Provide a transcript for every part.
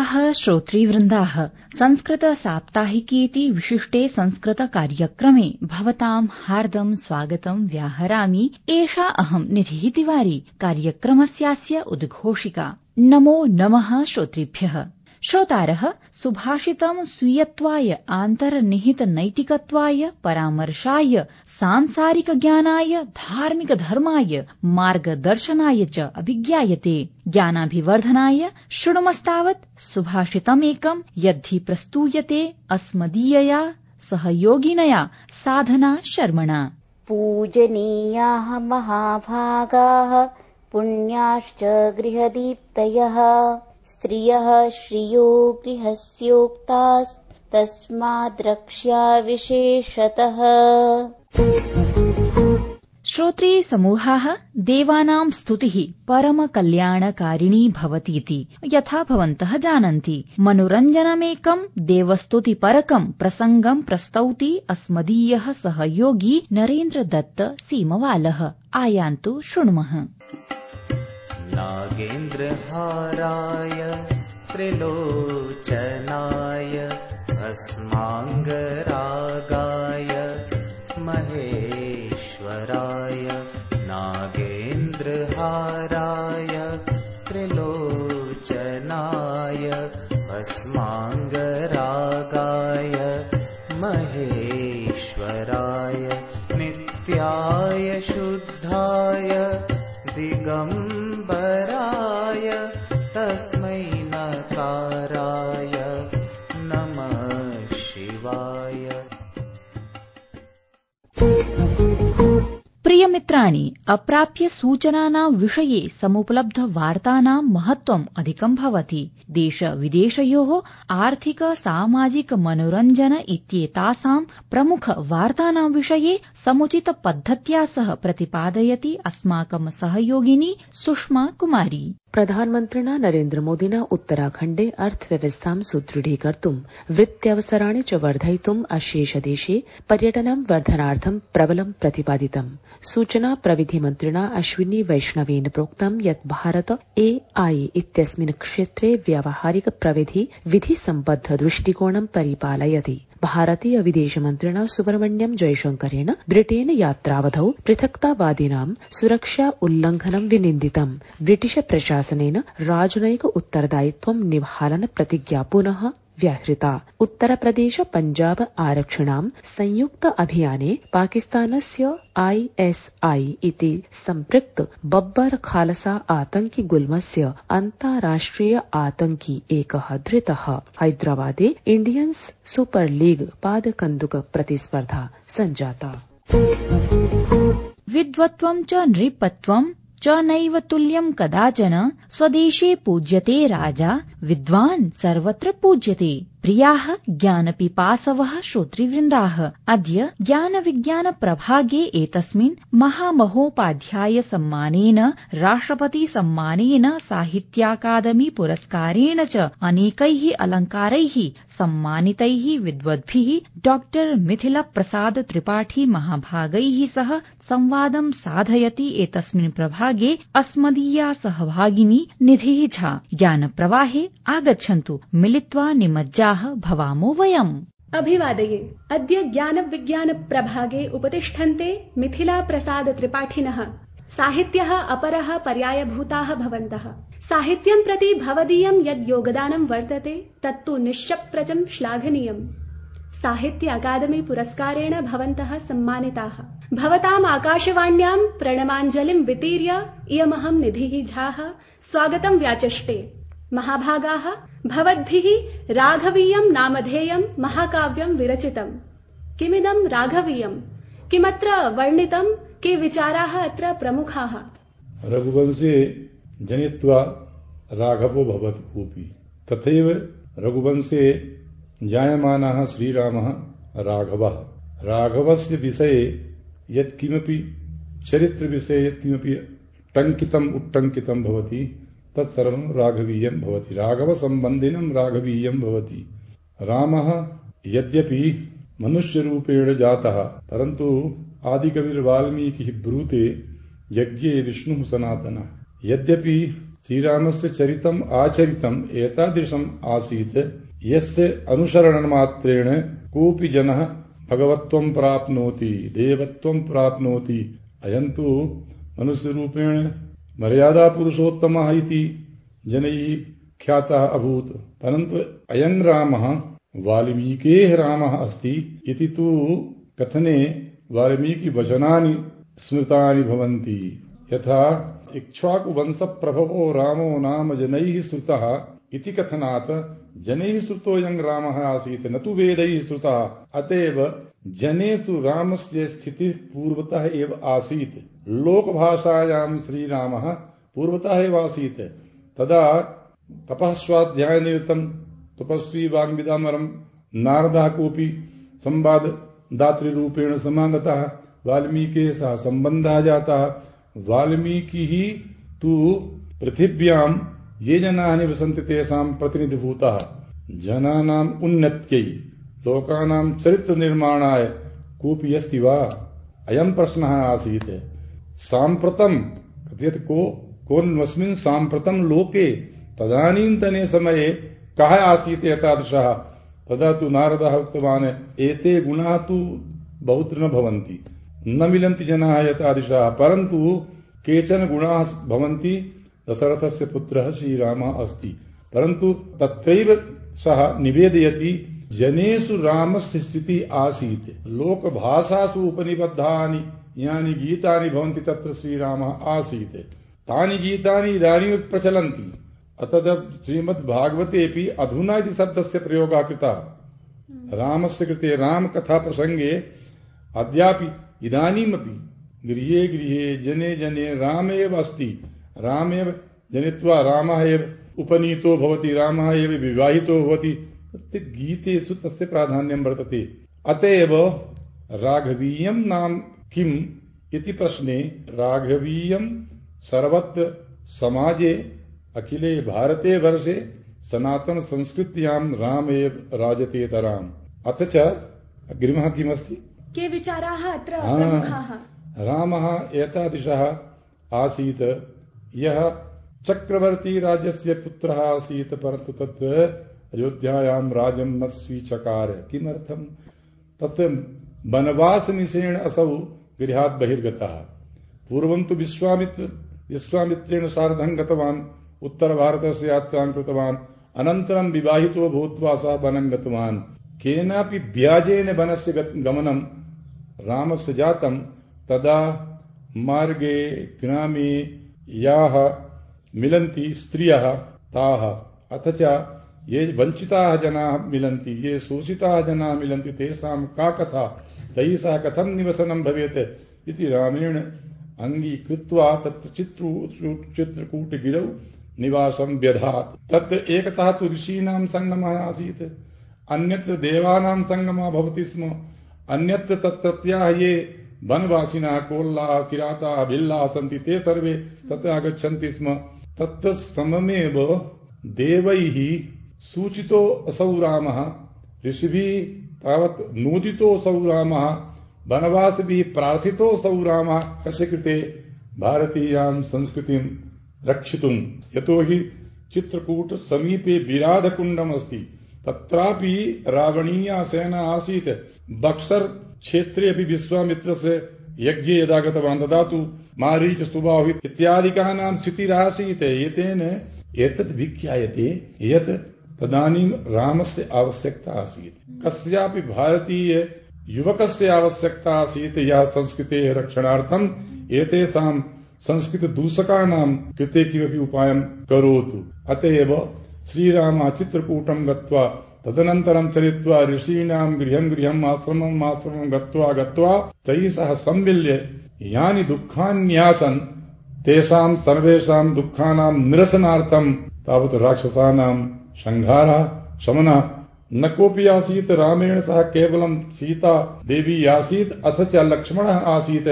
प्रियाः श्रोतृवृन्दाः, संस्कृत साप्ताहिकेति विशिष्टे संस्कृत कार्यक्रमे भवतां हार्दं स्वागतं व्याहरामि। एषा अहं निधिः तिवारी, कार्यक्रमस्यास्य उद्घोषिका। नमो नमः श्रोतृभ्यः। श्रोतारः, सुभाषितं स्वीयत्वाय, आन्तर्निहित नैतिकत्वाय, परामर्शाय, सांसारिक ज्ञानाय, धार्मिक धर्माय, मार्गदर्शनाय च अभिज्ञायते। ज्ञानाभिवर्धनाय शृणुमस्तावत् सुभाषितमेकं यद्धि प्रस्तूयते अस्मदीयया सहयोगिनया साधना शर्मणा। पूजनीयाः महाभागाः पुण्याश्च गृहदीप्तयः, स्त्रियः श्रियो गृहस्योक्तास्तस्माद्रक्ष्या विशेषतः। श्रोत्री समूहाः, देवानां स्तुतिः परम कल्याणकारिणी भवतीति यथा भवन्तः जानन्ति, मनोरञ्जनमेकं देवस्तुतिपरकं प्रसङ्गं प्रस्तौति अस्मदीयः सहयोगी नरेन्द्र दत्त सीमवालः। आयान्तु शृणुमः। नागेन्द्रहाराय त्रिलोचनाय भस्माङ्गरागाय महेश्वराय, नागेन्द्रहाराय त्रिलोचनाय भस्माङ्गरागाय महेश्वराय, नित्याय शुद्धाय दिगम्बराय तस्मै नकाराय नमः शिवाय। प्रियमित्राणि, अप्राप्य सूचनानां विषये समुपलब्ध वार्तानां महत्त्वम् अधिकं भवति। देश विदेशयोः आर्थिक सामाजिक मनोरञ्जन इत्येतासां प्रमुख वार्तानां विषये समुचित पद्धत्या सह प्रतिपादयति अस्माकं सहयोगिनी सुषमा कुमारी। प्रधानमन्त्रिणा नरेन्द्र मोदिना उत्तराखण्डे अर्थव्यवस्थां सुदृढीकर्तुं, वृत्त्यवसराणि च वर्धयितुम् अशेषदेशे पर्यटनं वर्धनार्थं प्रबलं प्रतिपादितम्। सूचना प्रविधि मन्त्रिणा अश्विनी वैष्णवेन प्रोक्तं यत् भारत AI इत्यस्मिन् क्षेत्रे व्यावहारिक प्रविधि विधि सम्बद्ध दृष्टिकोणं परिपालयति। भारतीय विदेशमन्त्रिणा सुब्रह्मण्यम जयशंकरेण ब्रिटेन यात्रावधौ पृथक्तावादिनां सुरक्षा उल्लंघनं विनिन्दितम्। ब्रिटिश प्रशासनेन राजनैतिक उत्तरदायित्वं निभालन प्रतिज्ञा पुनः व्याहृता। उत्तरप्रदेश पञ्जाब आरक्षिणां संयुक्त अभियाने पाकिस्तानस्य ISI इति सम्पृक्त बब्बर खालसा आतंकि गुल्मस्य अन्ताराष्ट्रिय आतंकी एकः धृतः। हैदराबादे इण्डियन्स् सुपर लीग पादकन्दुक प्रतिस्पर्धा सञ्जाता। विद्वत्वं च नृपत्वं च नैव तुल्यं कदाचन, स्वदेशे पूज्यते राजा, विद्वान् सर्वत्र पूज्यते। प्रियाः ज्ञानपिपासवः श्रोतृवृन्दाः, अद्य ज्ञानविज्ञान प्रभागे एतस्मिन् महामहोपाध्याय सम्मानेन, राष्ट्रपति सम्मानेन, साहित्याकादमी पुरस्कारेण च अनेकैः अलङ्कारैः सम्मानितैः विद्वद्भिः डॉक्टर मिथिला प्रसाद त्रिपाठी महाभागैः सह संवादं साधयति। एतस्मिन् प्रभागे अस्मदीया सहभागिनी निधिः झा। ज्ञानप्रवाहे आगच्छन्तु, मिलित्वा निमज्जाः भवामो वयम्। अभिवादये। अद्य ज्ञानविज्ञान प्रभागे उपतिष्ठन्ते मिथिला प्रसाद त्रिपाठिनः। साहित्यः अपरः पर्यायभूताः भवन्तः। साहित्यं प्रति भवदीयं यद् योगदानं वर्तते तत्तु निश्चप्रचं श्लाघनीयम्। साहित्य अकादमी पुरस्कारेण भवन्तः सम्मानिताः। भवताम् आकाशवाण्यां प्रणमाञ्जलिं वितीर्य इयमहं निधिः झाः स्वागतं व्याचष्टे। महाभागाः, भवद्भिः राघवीयं नामधेयं महाकाव्यं विरचितम्। किमिदं राघवीयं? किमत्र वर्णितं? के विचाराः अत्र प्रमुखाः? रघुवंशे जनित्वा राघवो भवति भूपि, तथैव रघुवंशे जायमानः श्रीरामः राघवः। राघवस्य विषये यत्किमपि चरित्रविषये यत्किमपि टङ्कितम् उट्टङ्कितं भवति तत्सर्वं राघवीयं भवति। राघवसम्बन्धिनं राघवीयं भवति। रामः यद्यपि मनुष्यरूपेण जातः, परन्तु आदिकविर्वाल्मीकिः ब्रूते यज्ञे विष्णुः सनातनः। यद्यपि श्रीरामस्य चरितम् आचरितम् एतादृशम् आसीत् यस्य अनुसरणमात्रेण कोऽपि जनः भगवत्वं प्राप्नोति, देवत्वं प्राप्नोति। अयं तु मनुष्यरूपेण मर्यादा पुरुषोत्तमः इति जनैः ख्यातः अभूत्, परन्तु अयं रामः वाल्मीकेः रामः अस्ति इति तु कथने वाल्मीकिवचनानि स्मृतानि भवन्ति। यथा इक्ष्वाकुवंशप्रभवो रामो नाम जनैः श्रुतः इति कथनात् जनैः श्रुतोऽयं रामः आसीत्, न तु वेदैः श्रुतः। अतएव जनेषु रामस्य स्थितिः पूर्वतः एव आसीत्। लोकभाषायां श्रीरामः पूर्वतः एव आसीत्। तदा तपःस्वाध्यायनिरतं तपस्वी वाग्विदामरं नारदः कोऽपि संवाददातृरूपेण समागतः, वाल्मीकिः सह सम्बन्धः जातः। वाल्मीकिः तु पृथिव्यां ये जनाः निवसन्ति तेषां प्रतिनिधिभूतः। जनानाम् उन्नत्यै, लोकानां चरित्रनिर्माणाय कोऽपि अस्ति वा, अयं प्रश्नः आसीत्। साम्प्रतं कथयति कोऽन्वस्मिन् साम्प्रतं लोके, तदानीन्तने समये कः आसीत् एतादृशः। तदा तु नारदः उक्तवान्, एते गुणाः तु बहुत्र न भवन्ति, न मिलन्ति जनाः एतादृशाः, परन्तु केचन गुणाः भवन्ति। दशरथस्य पुत्रः श्रीरामः अस्ति, परन्तु तत्रैव सः निवेदयति जनेषु रामस्य स्थितिः आसीत्। लोकभाषासु उपनिबद्धानि यानि गीतानि भवन्ति तत्र श्रीरामः आसीत्। तानि गीतानि इदानीं प्रचलन्ति। अतः श्रीमद्भागवतेऽपि अधुना इति शब्दस्य प्रयोगः कृतः। रामस्य कृते रामकथा प्रसङ्गे अद्यापि इदानीमपि गृहे गृहे जने जने राम एव अस्ति। रामेव जनित्वा रामः एव उपनीतो भवति, रामः एव विवाहितो भवति। गीतेषु तस्य प्राधान्यं वर्तते। अतएव राघवीयं नाम किम् इति प्रश्ने राघवीयं सर्वत्र समाजे अखिले भारते वर्षे सनातन संस्कृत्यां राम एव राजतेतराम्। अथ च अग्रिमः किमस्ति, के विचाराः अत्र प्रमुखाः। रामः एतादृशः आसीत् यः चक्रवर्ती राज्यस्य पुत्रः आसीत्, परन्तु तत्र अयोध्यायां राज्यं न स्वीचकार। किमर्थम्? तत्र वनवासनिशेन असौ गृहात् बहिर्गतः। पूर्वं तु विश्वामित्रेण सार्धं गतवान्, उत्तरभारतस्य यात्रां कृतवान्। अनन्तरं विवाहितो भूत्वा सः वनं गतवान्। केनापि व्याजेन वनस्य गमनं रामस्य जातं। तदा मार्गे ग्रामे याः मिलन्ति स्त्रियः ताः, अथ च ये वञ्चिताः जनाः मिलन्ति, ये शोषिताः जनाः मिलन्ति, तेषां का कथा, तैः सह कथं निवसनं भवेत् इति रामेण अङ्गीकृत्वा तत्र चित्रकूटगिरौ निवासं व्यधात्। तत्र एकतः तु ऋषीणां सङ्गमः आसीत्, अन्यत्र देवानां सङ्गमः भवति स्म, अन्यत्र तत्रत्याः ये वनवासिनः कोल्लाः किराताः भिल्लाः सन्ति ते सर्वे तत्र आगच्छन्ति स्म। तत्र सममेव देवैः सूचितो असौ रामः, ऋषिभिः तावत् नोदितो असौ रामः, वनवासिभिः प्रार्थितो असौ रामः। कस्य कृते? भारतीयां संस्कृतिं रक्षितुं। यतोहि चित्रकूट समीपे विराधकुण्डम् अस्ति, तत्रापि रावणीया सेना आसीत्। बक्सर क्षेत्रे अपि विश्वामित्रस्य यज्ञे यदा गतवान् तदा तु मारीच सुबाहु इत्यादिकानां स्थितिरासीत्। एतेन एतत् विज्ञायते यत् तदानीं रामस्य आवश्यकता आसीत्, कस्यापि भारतीय युवकस्य आवश्यकता आसीत् यः संस्कृतेः रक्षणार्थम् एतेषां संस्कृतदूषकाणां कृते किमपि उपायं करोतु। अतएव श्रीरामः चित्रकूटं गत्वा तदनन्तरं चलित्वा ऋषीणां गृहं गृहम् आश्रमम् आश्रमं गत्वा तैः सह सम्मिल्य यानि दुःखान्यासन् तेषां सर्वेषां दुःखानां निरसनार्थं तावत् राक्षसानां संहारः शमनः न कोऽपि आसीत्। रामेण सह केवलं सीता देवी आसीत्, अथ च लक्ष्मणः आसीत्।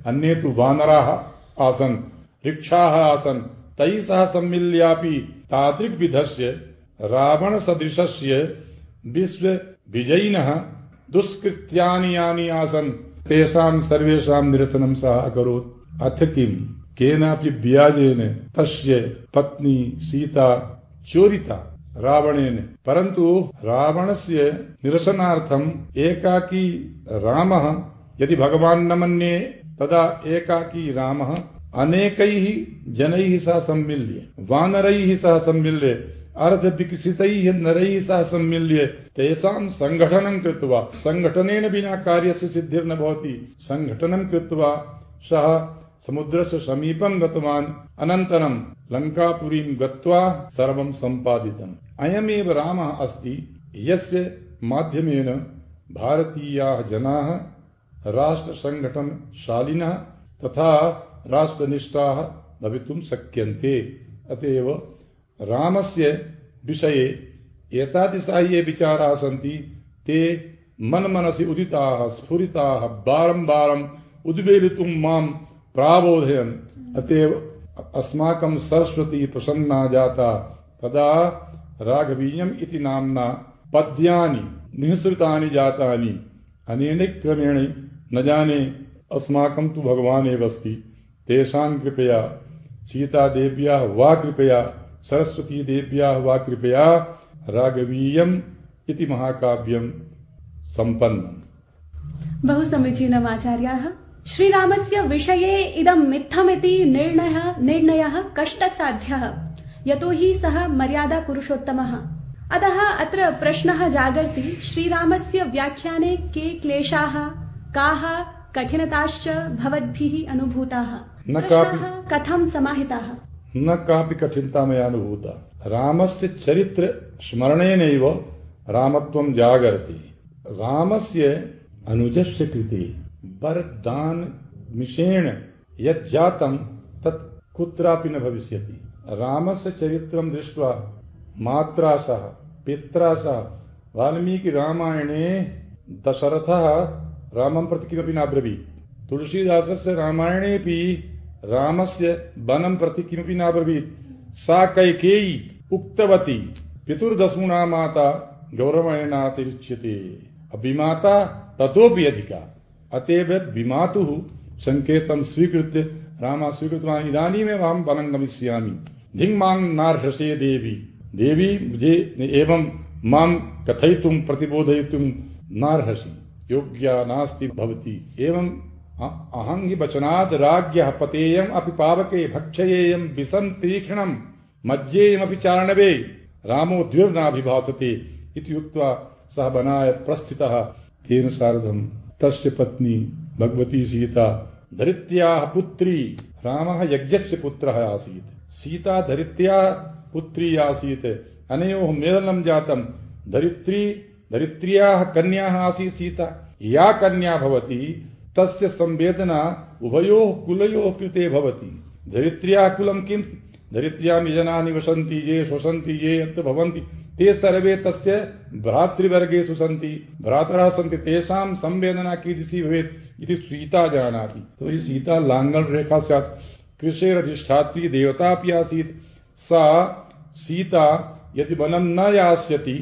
अन्ये तु वानराः आसन्, वृक्षाः आसन्। तैः सह सम्मिल्यापि तादृग्विधस्य रावणसदृशस्य विश्वविजयिनः दुष्कृत्यानि यानि आसन् तेषां सर्वेषां निरसनं सः अकरोत्। अथ केनापि व्याजेन तस्य पत्नी सीता चोरिता रावणेन, परन्तु रावणस्य निरसनार्थम् एकाकी रामः यदि भगवान् न मन्ये तदा एकाकी रामः अनेकैः जनैः सह सम्मिल्य, वानरैः सह सम्मिल्य, अर्धविकसितैः नरैः सह सम्मिल्य तेषां सङ्घटनं कृत्वा, सङ्घटनेन विना कार्यस्य सिद्धिर्न भवति, सङ्घटनं कृत्वा सः समुद्रस्य समीपं गतवान्। अनन्तरं लङ्कापुरीं गत्वा सर्वं सम्पादितम्। अयमेव रामः अस्ति यस्य माध्यमेन भारतीयाः जनाः राष्ट्रसङ्घटनशालिनः तथा राष्ट्रनिष्ठाः भवितुं शक्यन्ते। अतएव रामस्य विषये एतादृशाः ये विचाराः सन्ति ते मनमनसि उदिताः स्फुरिताः बारम्बारम् उद्वेलितुं मां प्राबोधयन्। अतएव अस्माकं सरस्वती प्रसन्ना जाता। तदा राघवीयम् इति नाम्ना पद्यानि निःसृतानि जातानि। अनेन क्रमेण न जाने अस्माकं तु भगवान् एव अस्ति, तेषां कृपया सीतादेव्याः वा कृपया सरस्वतीदेव्याः वा कृपया राघवीयम् इति महाकाव्यं सम्पन्नम्। बहु समीचीनम् आचार्याः। श्रीरामस्य विषये इदं मिथ्यमिति निर्णयः कष्टसाध्यः, यतो हि सः मर्यादा पुरुषोत्तमः। अतः अत्र प्रश्नः जागर्ति, श्रीरामस्य व्याख्याने के क्लेशाः, काः कठिनताश्च भवद्भिः अनुभूताः, प्रश्नाः कथं समाहिताः? न कापि कठिनता मया अनुभूता। रामस्य चरित्र स्मरणेनैव रामत्वं जागर्ति। रामस्य अनुजस्य कृते वरदानमिषेण यत् जातं तत् कुत्रापि न भविष्यति। रामस्य चरित्रं दृष्ट्वा मात्रा सह पित्रा सह वाल्मीकि रामायणे दशरथः रामं प्रति किमपि नाब्रवीत्। तुलसीदासस्य रामायणेऽपि रामस्य वनं प्रति किमपि नाब्रवीत्। सा कैकेयी उक्तवती पितुर्दस्मुना माता गौरवणेनातिरिच्यते, अभिमाता ततोपि अधिका। अतएव विमातुः संकेतं स्वीकृत्य रामः स्वीकृतवान्, इदानीमेव अहं वनं गमिष्यामि, धिङ्मां नार्हसे देवी, देवी मुझे एवं मां कथयितुं प्रतिबोधयितुं नार्हसि, योग्या नास्ति भवति। एवं अहं हि वचनाद् राज्ञः पतेयम् अपि पावके भक्षयेयं विषं तीक्ष्णं मज्जेयमपि चारणवे रामो द्विर्नाभिभासते इति उक्त्वा सः वनाय प्रस्थितः। तेन सार्धं तस्य पत्नी भगवती सीता धरित्र्याः पुत्री, रामः यज्ञस्य पुत्रः आसीत्, सीता धरित्र्याः पुत्री आसीत्। अनयोः मेलनं जातं। धरित्र्याः कन्याः आसीत् सीता। या कन्या भवति तस्य संवेदना उभयोः कुलयोः कृते भवति। धरित्र्याः कुलं किम्? धरित्र्यां ये जनाः निवसन्ति, ये श्वसन्ति, ये यत्र भवन्ति ते सर्वे तस्य भ्रातृवर्गेषु सन्ति, भ्रातरः सन्ति, तेषां संवेदना कीदृशी भवेत् इति सीता जानाति। तो ही सीता लाङ्गल रेखा स्यात्, कृषेरधिष्ठात्री देवता अपि आसीत्। सा सीता यदि वनं न यास्यति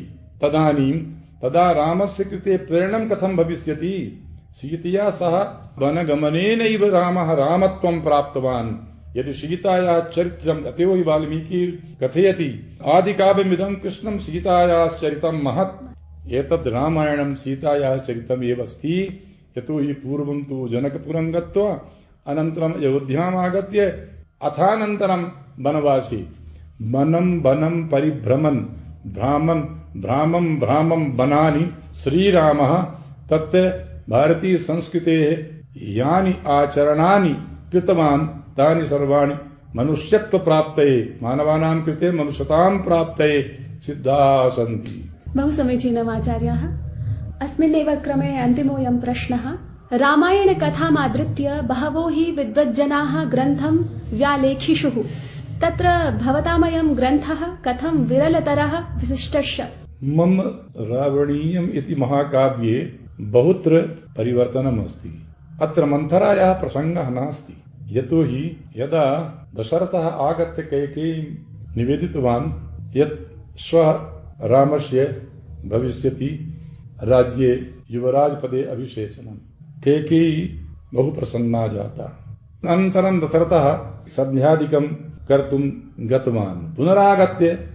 तदा रामस्य कृते प्रेरणं कथं भविष्यति? सीतया सह वनगमनेनैव रामः रामत्वं प्राप्तवान्। यदि सीतायाः चरित्रम् अतएव हि वाल्मीकि कथयति, आदिकाव्यमिदं कृष्णं सीतायाः चरितं महत्। एतद् रामायणं सीतायाः चरितम् एव अस्ति। यतो हि पूर्वं तु जनकपुरं गत्वा अनन्तरम् अयोध्याम् आगत्य अथानन्तरं वनवासी वनं परिभ्रमन् भ्रामं वनानि श्रीरामः तत् भारतीय संस्कृतेः यानि आचरणानि कृतवान् तानि सर्वाणि मनुष्यत्व प्राप्तये, मानवानां कृते मनुष्यतां प्राप्तये सिद्धाः सन्ति। बहु समीचीनम् आचार्याः। अस्मिन्नेव क्रमे अन्तिमोऽयं प्रश्नः। रामायणकथामाधृत्य बहवो हि विद्वज्जनाः ग्रन्थं व्यालेखिषुः। तत्र भवतामयं ग्रन्थः कथं विरलतरः विशिष्टश्च? मम रावणीयम् इति महाकाव्ये बहुत्र परिवर्तनम् अस्ति। अत्र मन्थरायाः प्रसङ्गः नास्ति। यतो हि यदा दशरथः आगत्य कैकेयीं निवेदितवान् यत् श्वः रामस्य भविष्यति राज्ये युवराजपदे अभिषेचनम्, कैकेयी बहु प्रसन्ना जाता। अनन्तरं दशरथः सन्ध्यादिकं कर्तुं गतवान्। पुनरागत्य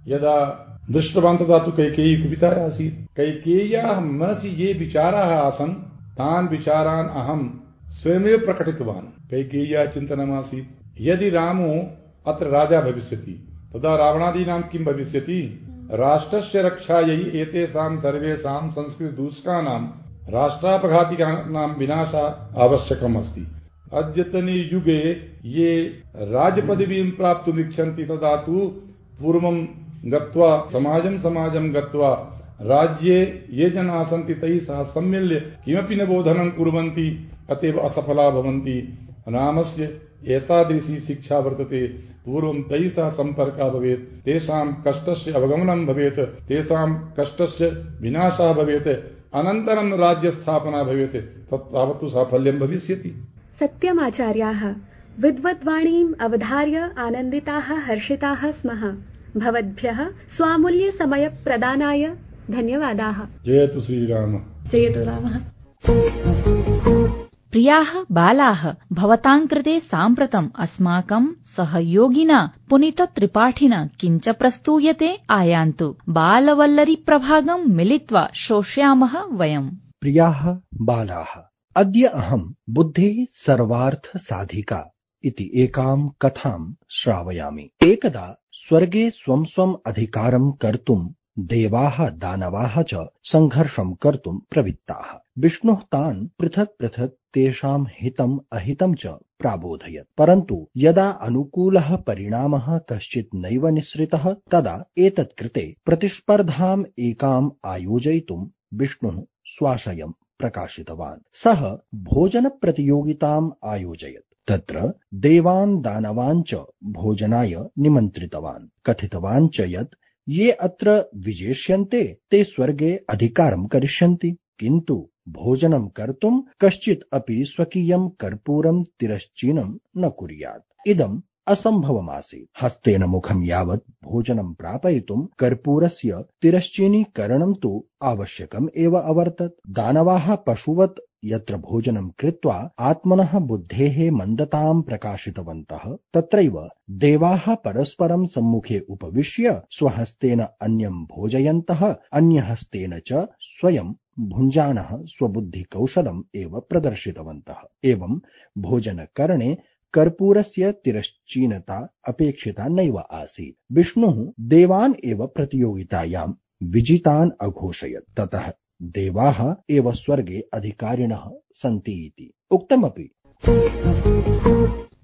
यदा दृष्टवान् तदा तु कैकेयी कुपिता आसीत्। कैकेय्याः मनसि ये विचाराः आसन् तान् विचारान् अहं स्वयमेव प्रकटितवान्। कैकेय्याः चिन्तनमासीत्, यदि रामो अत्र राजा भविष्यति तदा रावणादीनां किं भविष्यति? राष्ट्रस्य रक्षायै एतेषां सर्वेषां संस्कृतदूषकानां राष्ट्रापघातिकानां विनाशः आवश्यकम् अस्ति। अद्यतने युगे ये राजपदवीं प्राप्तुम् इच्छन्ति तदा तु पूर्वं गत्वा समाजं गत्वा राज्ये ये जनाः सन्ति तैः सह सम्मिल्य किमपि न बोधनं कुर्वन्ति, अतएव असफला भवन्ति। रामस्य एतादृशी शिक्षा वर्तते। पूर्वं तैः सह सम्पर्कः भवेत्, तेषां कष्टस्य अवगमनं भवेत्, तेषां कष्टस्य विनाशः भवेत्, अनन्तरं राज्यस्थापना भवेत्, तत्तावत्तु साफल्यं भविष्यति। सत्यमाचार्याः, विद्वद्वाणीम् अवधार्य आनन्दिताः हर्षिताः स्मः। भवद्भ्यः स्वामूल्यसमयप्रदानाय धन्यवादाः। जयतु श्रीराम। जयतु रामः। प्रियाः बालाः, भवतां कृते साम्प्रतम् अस्माकं सहयोगिना पुनीतत्रिपाठिना किञ्च प्रस्तूयते, आयान्तु। बालवल्लरी प्रभागं मिलित्वा श्रोष्यामः वयम्। प्रियाः बालाः, अद्य अहं बुद्धेः सर्वार्थ साधिका इति एकां कथां श्रावयामि। एकदा स्वर्गे स्वं स्वम् अधिकारं कर्तुं देवाः दानवाः च संघर्षं कर्तुं प्रवृत्ताः। विष्णुः तान् पृथक् पृथक् तेषां हितम् अहितं च प्राबोधयत्। परन्तु यदा अनुकूलः परिणामः कश्चित् नैव निःसृतः तदा एतत् कृते प्रतिस्पर्धाम् एकाम् आयोजयितुं विष्णुः स्वाशयं प्रकाशितवान्। सः भोजनप्रतियोगिताम् आयोजयत्। तत्र देवान् दानवान् च भोजनाय निमन्त्रितवान्। कथितवान् च यत् ये अत्र विजेष्यन्ते ते स्वर्गे अधिकारं करिष्यन्ति, किन्तु भोजनं कर्तुं कश्चित् अपि स्वकीयं कर्पूरं तिरश्चीनं न कुर्यात्। इदम् असम्भवमासीत्। हस्तेन मुखं यावत् भोजनं प्रापयितुं कर्पूरस्य तिरश्चीनीकरणं तु आवश्यकम् एव अवर्तत्। दानवाः पशुवत् यत्र भोजनं कृत्वा आत्मनः बुद्धेः मन्दतां प्रकाशितवन्तः, तत्रैव देवाः परस्परं सम्मुखे उपविश्य स्वहस्तेन अन्यं भोजयन्तः, अन्यहस्तेन च स्वयं भुञ्जानः स्वबुद्धिकौशलम् एव प्रदर्शितवन्तः। एवं भोजनकरणे कर्पूरस्य तिरश्चीनता अपेक्षिता नैव आसीत्। विष्णुः देवान् एव प्रतियोगितायां विजितान् अघोषयत्। ततः देवाः एव स्वर्गे अधिकारिणः सन्ति इति उक्तमपि।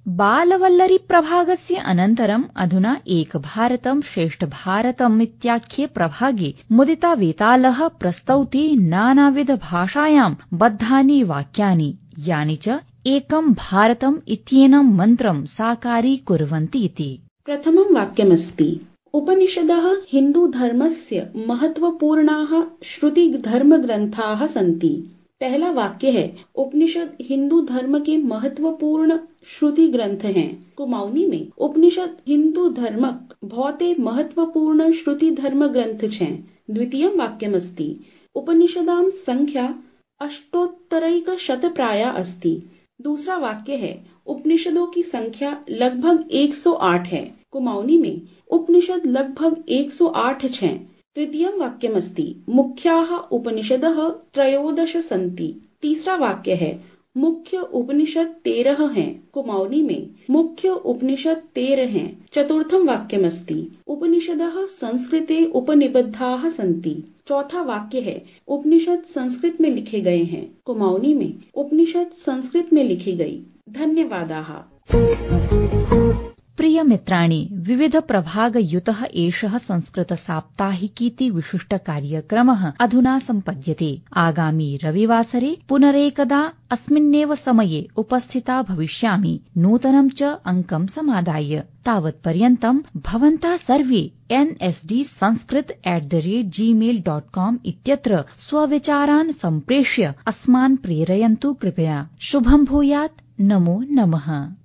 बालवल्लरी प्रभागस्य अनन्तरम् अधुना एक भारतं श्रेष्ठ भारतम् इत्याख्ये प्रभागे मुदिता वेतालः प्रस्तौति नानाविध भाषायां बद्धानि वाक्यानि, यानि च एकं भारतम् इत्येनं मन्त्रं साकारीकुर्वन्ति इति। प्रथमं वाक्यमस्ति, उपनिषदः हिन्दूधर्मस्य महत्वपूर्णाः श्रुतिधर्मग्रन्थाः सन्ति। पहला वाक्य है, उपनिषद हिंदू धर्म के महत्वपूर्ण श्रुति ग्रंथ हैं। कुमाऊनी में उपनिषद हिंदू धर्मक बहुते महत्वपूर्ण श्रुति धर्म ग्रंथ हैं। द्वितीयं वाक्यमस्ति, उपनिषदां संख्या अष्टोत्तरैकशतप्राया अस्ति। दूसरा वाक्य है, उपनिषदों की संख्या लगभग 108 है। कुमाऊनी में उपनिषद लगभग 108 हैं। तृतीयं वाक्यमस्ति, मुख्याः उपनिषदः त्रयोदश सन्ति। तीसरा वाक्य है, मुख्य उपनिषद 13 हैं। कुमाऊनी में मुख्य उपनिषद 13 हैं। चतुर्थं वाक्यमस्ति, उपनिषदः संस्कृते उपनिबद्धाः सन्ति। चौथा वाक्य है, उपनिषद संस्कृत में लिखे गए हैं। कुमाऊनी में उपनिषद संस्कृत में लिखी गई। धन्यवादाः। प्रिय मित्राणि, विविध प्रभागयुतः एषः संस्कृत साप्ताहिकीति विशिष्ट कार्यक्रमः अधुना सम्पद्यते। आगामी रविवासरे पुनरेकदा अस्मिन्नेव समये उपस्थिता भविष्यामि, नूतनं च अङ्कं समादाय। तावत्पर्यन्तं भवन्तः सर्वे nsdsanskrit@gmail.com इत्यत्र स्वविचारान् सम्प्रेष्य अस्मान् प्रेरयन्तु कृपया। शुभं भूयात्। नमो नमः।